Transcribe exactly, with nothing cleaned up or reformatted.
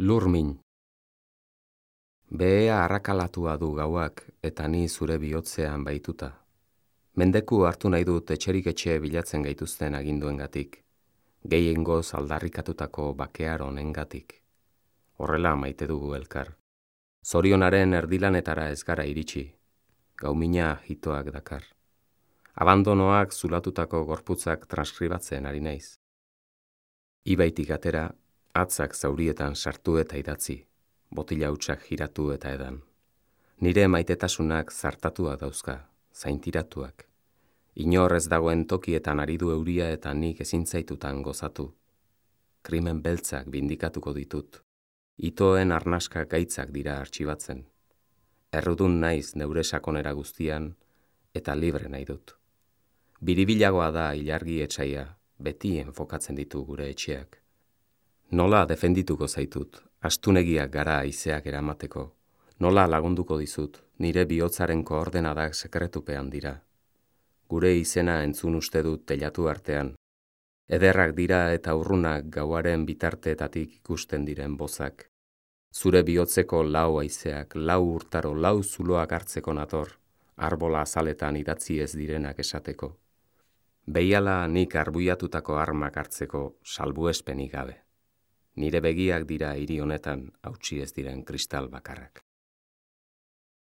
Lurmin. Behea arrakalatua du gauak eta ni zure bihotzean baituta. Mendeku hartu nahi dut etxerik etxe bilatzen gaituzten aginduengatik, gehiengoz aldarrikatutako bakear honengatik. Horrela maite dugu elkar. Zorionaren erdilanetara ez gara iritsi, gaumina hitoak dakar. Abandonoak zulatutako gorputzak transkribatzen ari naiz. Ibaitik atera, atzak zaurietan sartu eta idatzi, botila hutsak jiratu eta edan. Nire maitetasunak zartatua dauzka, zaintiratuak. Inor ez dagoen tokietan ari du euria eta nik ezintzaitutan gozatu. Krimen beltzak bindikatuko ditut. Itoen arnaska gaitzak dira artxibatzen. Errudun naiz neure sakonera guztian eta libre nahi dut. Biribilagoa da ilargi etsaia, beti enfokatzen ditu gure etxeak. Nola defendituko zaitut, astunegiak gara haizeak eramateko. Nola lagunduko dizut, nire bihotzaren koordenadak sekretupean dira. Gure izena entzun uste dut telatu artean. Ederrak dira eta urrunak gauaren bitarteetatik ikusten diren bozak. Zure bihotzeko lau haizeak, lau urtaro, lau zuloak hartzeko nator, arbola azaletan idatzi ez direnak esateko. Behiala nik arbuiatutako armak hartzeko salbuespenik gabe. Nire begiak dira hiri honetan hautsi ez diren kristal bakarrak.